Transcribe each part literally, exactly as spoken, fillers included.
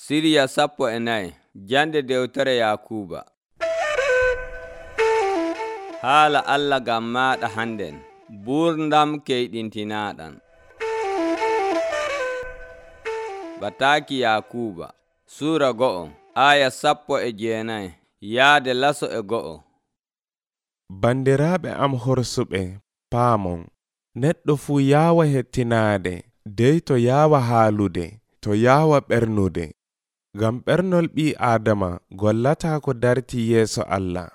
Siriya sappo e nayi jande dewtere Yakuba. Haala Allah gam maɗa handen, burdam keyɗintinaɗan. Bataki Yakuba Sura go'o aya sappo e jeenayi yaade laso e go'o. Bandiraɓe am horsuɓe paamon, neɗɗo fuu yaawa hettinaade, dey to yaawa haalude, to yaawa ɓernude. Ngam ɓernol ɓii Aadama gollataa ko darti yeeso Allah.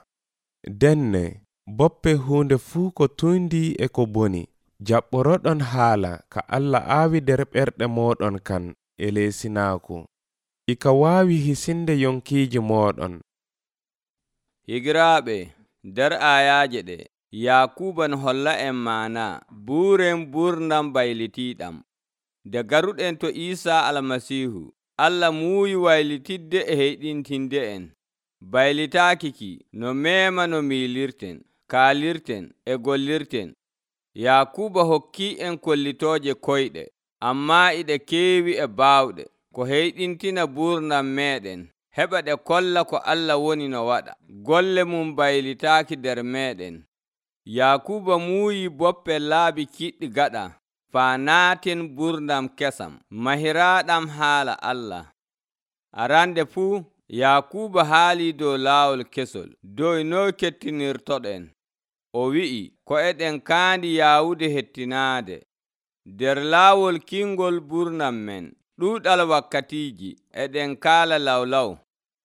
Denne boppe huunde fuu ko tundi e ko boni, jaɓɓoroɗon haala ka Allah aawi nder ɓerɗe mooɗon kan e leesinaaku. Ika waawi hisinde yonkiiji mooɗon. Higiraaɓe, nder ayaaje ɗe, Yakuba n holla en maana buuren burdam baylitiiɗam. Nde garuɗen to Iisa Almasiihu, Allah muuyi waylitidde e heyɗintinde en. Baylitaaki ki no meema no miilirten, kaalirten e gollirten. Yakuba hokkii en kollitooje koyɗe, ammaa iɗe keewi e baawɗe, ko heyɗintina burdam meeɗen, heɓa ɗe kolla ko Allah woni no waɗa. Golle mum baylitaaki nder meeɗen. Yakuba muuyi boppe laabi kiɗɗi gaɗa, faa naaten burdam kesam, mahiraaɗam haala Allah. Arande fuu, Yakuba haali dow laawol kesol, dow noy kettinirtoɗen. O wi'i ko eɗen kaandi yaawude hettinaade. Nder laawol kingol burdam men, ɗuuɗal wakkatiiji, eɗen kaala lawlaw.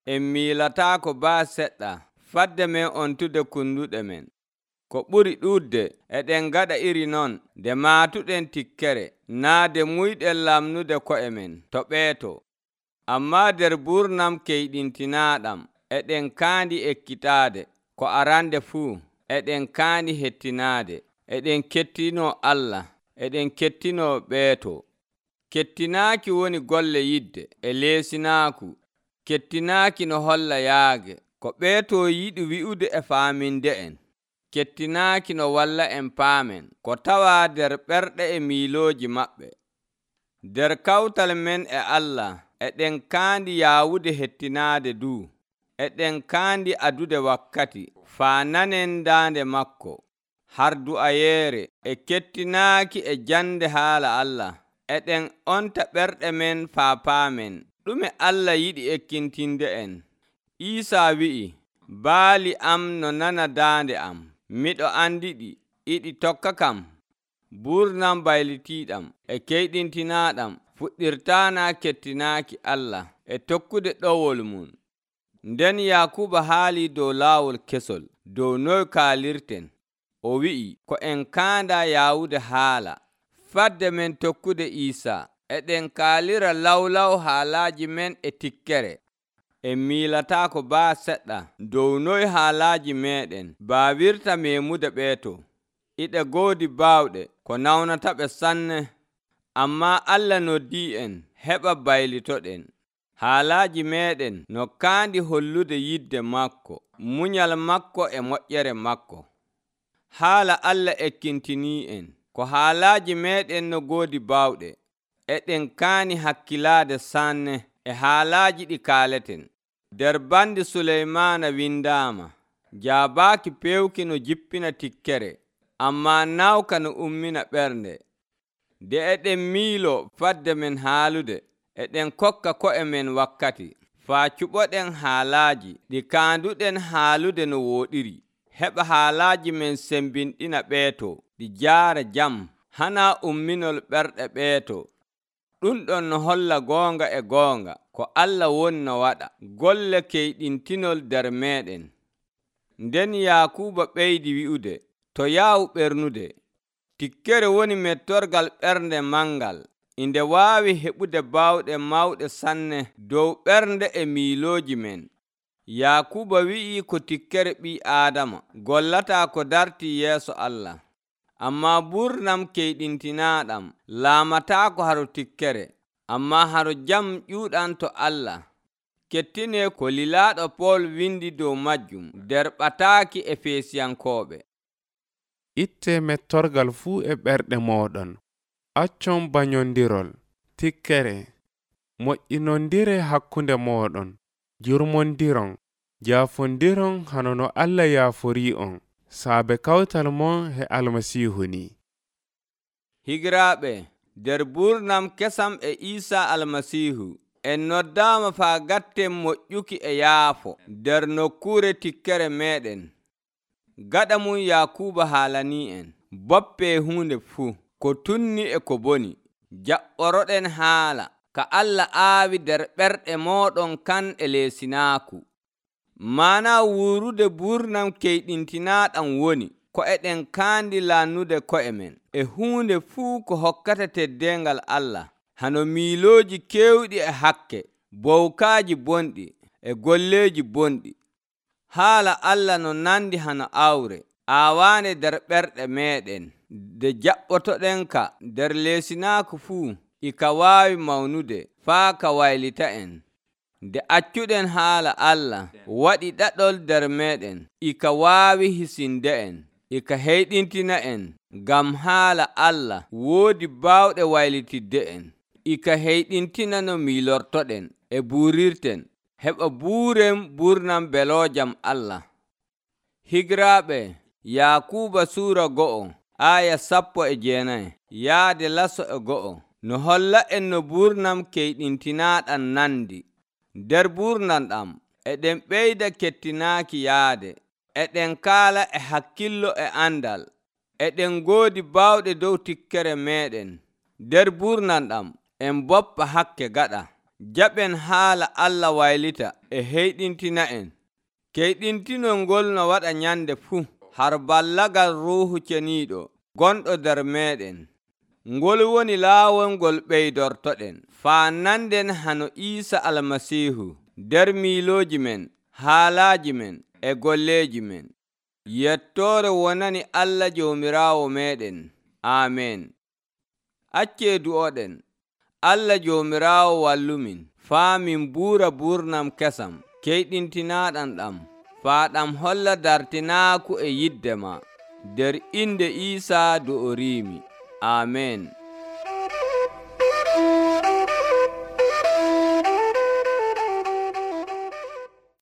En miilataako baa seɗɗa, fadde men ontude kunduɗe men. Ko ɓuri ɗuuɗde, eɗen gaɗa iri non, nde maatuɗen tikkere, naa de muyɗen lamnude ko'e men to ɓeeto. Ammaa nder burnam keyɗintinaaɗam, eɗen kaandi ekkitaade, ko arande fuu, eɗen kaandi hettinaade, eɗen kettinoo Allah, eɗen kettinoo ɓeeto. Kettinaaki woni golle yidde e leesinaaku, kettinaaki no holla yaage, ko ɓeeto yiɗi wi'ude e faaminde en. Kettinaaki no walla en paamen, ko tawaa nder ɓerɗe e miilooji maɓɓe. Nder kawtal men e Allah, eɗen kaandi yaawude hettinaade duu. Eɗen kaandi adude wakkati, faa nanen daande makko, har du'ayeere e kettinaaki e jande haala Allah. Eɗen onta ɓerɗe men faa paamen, ɗume Allah yiɗi ekkintinde en. Iisaa wi'i, baali am no nana daande am, miɗo andiɗi, iɗi tokka kam. Burnam baylitiiɗam e keyɗintinaaɗam fuɗɗirtaana kettinaaki Allah e tokkude ɗowol mum. Nden Yakuba haali dow laawol kesol, dow noy kaalirten. O wi'i ko en kaanda yaawude haala. Fadde men tokkude Iisaa, eɗen kaalira lawlaw haalaaji men e tikkere. En miilataako baa seɗɗa dow noy haalaaji meeɗen baawirta meemude ɓeeto. Iɗe goodi baawɗe ko nawnataɓe sanne, ammaa Allah noddii en heɓa baylitoɗen. Haalaaji meeɗen no kaandi hollude yidde makko, munyal makko e moƴƴere makko. Haala Allah ekkintinii en, ko haalaaji meeɗen no goodi baawɗe. Eɗen kaani hakkilaade sanne e haalaaji ɗi kaaleten. Nder bandi Suleymaana windaama, jaabaaki pewki no jippina tikkere, ammaa nawka no ummina ɓernde. Nde eɗen miilo fadde men haalude, eɗen kokka ko'e men wakkati, faa cuɓoɗen haalaaji ɗi kaanduɗen haalude no wooɗiri. Heɓa haalaaji men sembinɗina ɓeeto, ɗi jaara jam, hanaa umminol ɓerɗe ɓeeto. Ɗum ɗon no holla goonga e goonga ko Allah woni no waɗa golle keyɗintinol nder meeɗen. Nden Yakuba ɓeydi wi'ude, to yaawu ɓernude. Tikkere woni mettorgal ɓernde mangal, inde waawi heɓude baawɗe mawɗe sanne dow ɓernde e miilooji men. Yakuba wi'i ko tikkere ɓii Aadama gollataa ko darti yeeso Allah. Ammaa burnam keyɗintinaaɗam laamataako haro tikkere, ammaa haro jam ƴuuɗam to Allah. Kettinee ko lilaaɗo Pool windi dow majjum nder ɓataaki Efesiyankooɓe. Ittee mettorgal fuu e ɓerɗe mooɗon. Accon banyondirol, tikkere, moƴƴinondire hakkunde mooɗon, jurmondiron, jaafondiron hano no Allah yaaforii on saabe kawtal mon he Almasiihu ni. Higiraaɓe, nder burnam kesam e Iisa Almasiihu, en noddaama faa gatten moƴƴuki e yaafo nder nokkuure tikkere meeɗen. Gaɗa mum Yaakuuba haalanii en, boppe huunde fuu, ko tunni e ko boni, jaɓɓoroɗen haala, ka Allah aawi nder ɓerɗe mooɗon kan e leesinaaku. Maana wuurude burnam keyɗintinaaɗam woni, ko eɗen kaandi lannude ko'e men e huunde fuu ko hokkata teddeengal Allah, hano miilooji keewɗi e hakke, bowkaaji bonɗi e golleeji bonɗi. Haala Allah no nandi hano awre, aawaande nder ɓerɗe meeɗen, nde jaɓɓotoɗenka nder leesinaaku fuu, ika waawi mawnude faa ka waylita en. Nde accuɗen haala Allah waɗi ɗaɗol nder meeɗen, ika waawi hisinde en, ika heyɗintina en, ngam haala Allah woodi baawɗe waylitidde en, ika heyɗintina no miilortoɗen e buurirten, heɓa buuren burnam beloojam Allah. Higiraaɓe, Yaakuuba suura go'o aya sappo e jeenayi yaade laso e go'o no holla en no burnam keyɗintinaaɗam nandi. Nder burnam ɗam eɗen ɓeyda kettinaaki yaade, eɗen kaala e hakkillo e andal, eɗen ngoodi baawɗe dow tikkere meeɗen. Nder burnam ɗam en boppa hakke gaɗa, jaɓen haala Allah waylita e heyɗintina en. Keyɗintinol ngol no waɗa nyande fuu, har ballagal Ruuhu Ceniiɗo gonɗo nder meeɗen. Ngol woni laawol ngol ɓeydortoɗen faa nanden hano Iisa Almasiihu nder miilooji men, haalaaji men e golleeji men. Yettoore wonani Allah Joomiraawo meeɗen. Aamen. Accee du'oɗen. Allah Joomiraawo wallumin faa min buura burnam kesam keyɗintinaaɗam ɗam, faa ɗam holla dartinaaku e yidde ma, nder inde Iisa do o riimi. Aamen.